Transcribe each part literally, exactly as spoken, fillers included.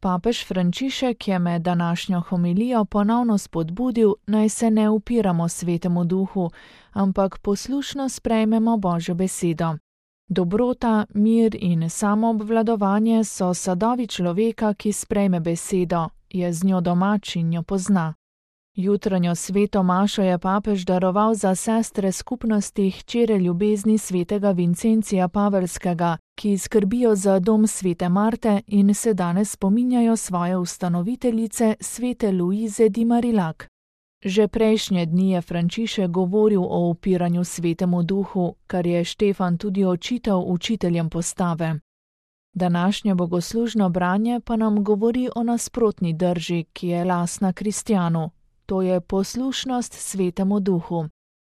Papež Frančišek je med današnjo homilijo ponovno spodbudil, naj se ne upiramo Svetemu Duhu, ampak poslušno sprejmemo Božjo besedo. Dobrota, mir in samoobvladovanje so sadovi človeka, ki sprejme besedo, je z njo domač in jo pozna. Jutranjo sveto mašo je papež daroval za sestre skupnosti hčere ljubezni svetega Vincencija Pavelskega, ki skrbijo za dom svete Marte in se danes spominjajo svoje ustanoviteljice svete Luize di Marillac. Že prejšnje dni je Frančišek govoril o upiranju Svetemu Duhu, kar je Štefan tudi očital učiteljem postave. Današnje bogoslužno branje pa nam govori o nasprotni drži, ki je lastna kristjanu. To je poslušnost Svetemu Duhu.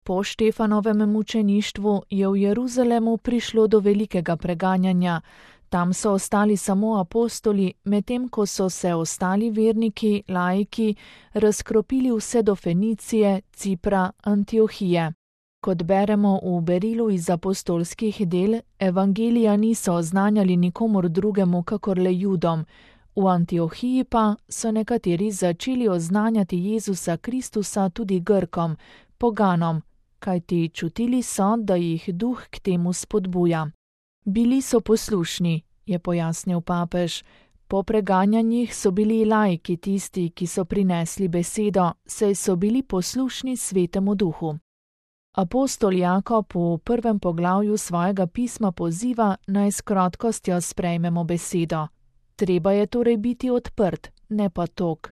Po Štefanovem mučeništvu je v Jeruzalemu prišlo do velikega preganjanja. Tam so ostali samo apostoli, medtem ko so se ostali verniki, laiki, razkropili vse do Fenicije, Cipra, Antiohije. Kot beremo v berilu iz apostolskih del, evangelija niso oznanjali nikomur drugemu, kakor le Judom. V Antiohiji pa so nekateri začeli oznanjati Jezusa Kristusa tudi Grkom, poganom, kajti čutili so, da jih Duh k temu spodbuja. Bili so poslušni, je pojasnil papež. Po preganjanjih so bili laiki tisti, ki so prinesli besedo, saj so bili poslušni Svetemu Duhu. Apostol Jakob v prvem poglavju svojega pisma poziva, naj s krotkostjo sprejmemo besedo. Treba je torej biti odprt, ne pa tog.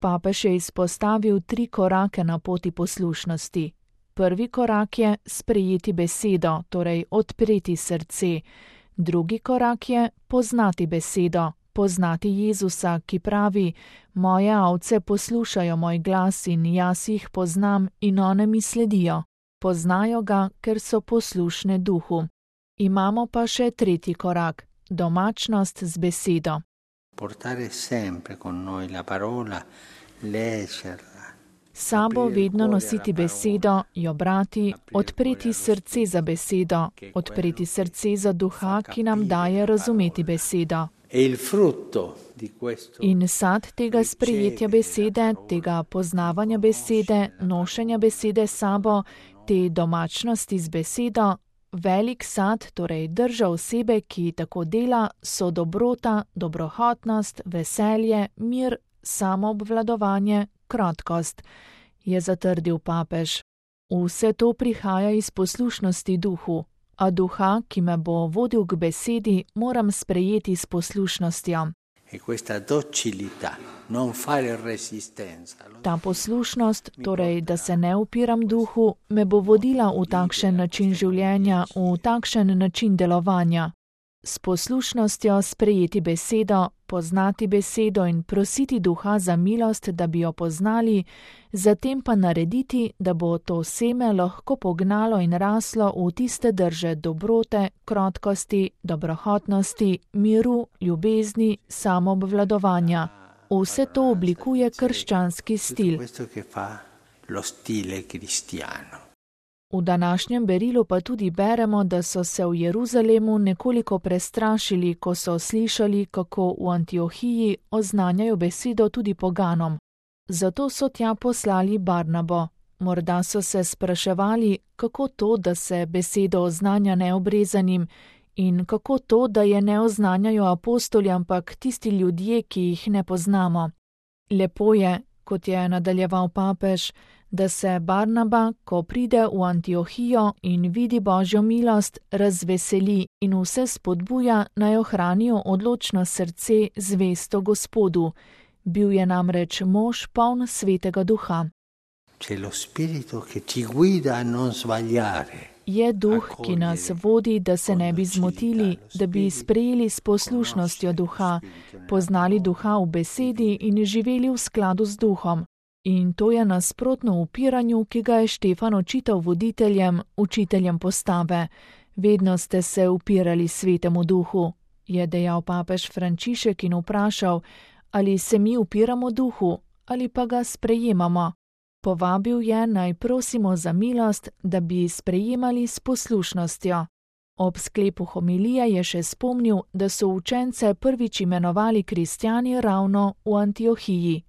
Papež je izpostavil tri korake na poti poslušnosti. Prvi korak je sprejeti besedo, torej odpreti srce. Drugi korak je poznati besedo, poznati Jezusa, ki pravi: moje ovce poslušajo moj glas in jaz jih poznam in one mi sledijo. Poznajo ga, ker so poslušne Duhu. Imamo pa še tretji korak, domačnost z besedo. Portare sempre con noi la parola, leggerla. Sabo vedno nositi besedo, jo brati, odpreti srce za besedo, odpreti srce za Duha, ki nam daje razumeti besedo. In sad tega sprejetja besede, tega poznavanja besede, nošenja besede sabo, te domačnosti z besedo, velik sad, torej drža osebe, ki tako dela, so dobrota, dobrohotnost, veselje, mir, samoobvladovanje, krotkost, je zatrdil papež. Vse to prihaja iz poslušnosti Duhu, a Duha, ki me bo vodil k besedi, moram sprejeti s poslušnostjo. Ta poslušnost, torej da se ne upiram Duhu, me bo vodila v takšen način življenja, v takšen način delovanja. S poslušnostjo sprejeti besedo, poznati besedo in prositi Duha za milost, da bi jo poznali, zatem pa narediti, da bo to seme lahko pognalo in raslo v tiste drže dobrote, krotkosti, dobrohotnosti, miru, ljubezni, samoobvladovanja. Vse to oblikuje krščanski stil. V današnjem berilu pa tudi beremo, da so se v Jeruzalemu nekoliko prestrašili, ko so slišali, kako v Antiohiji oznanjajo besedo tudi poganom. Zato so tja poslali Barnabo. Morda so se spraševali, kako to, da se besedo oznanja neobrezanim, in kako to, da je ne oznanjajo apostoli, ampak tisti ljudje, ki jih ne poznamo. Lepo je, kot je nadaljeval papež, da se Barnaba, ko pride v Antiohijo in vidi Božjo milost, razveseli in vse spodbuja, naj ohranijo odločno srce zvesto Gospodu. Bil je namreč mož poln Svetega Duha. Je Duh, ki nas vodi, da se ne bi zmotili, da bi sprejeli s poslušnostjo Duha, poznali Duha v besedi in živeli v skladu z Duhom. In to je nasprotno upiranju, ki ga je Štefan očital voditeljem, učiteljem postave. Vedno ste se upirali Svetemu Duhu, je dejal papež Frančišek in vprašal, ali se mi upiramo Duhu ali pa ga sprejemamo. Povabil je, naj prosimo za milost, da bi sprejemali s poslušnostjo. Ob sklepu homilije je še spomnil, da so učence prvič imenovali kristjani ravno v Antiohiji.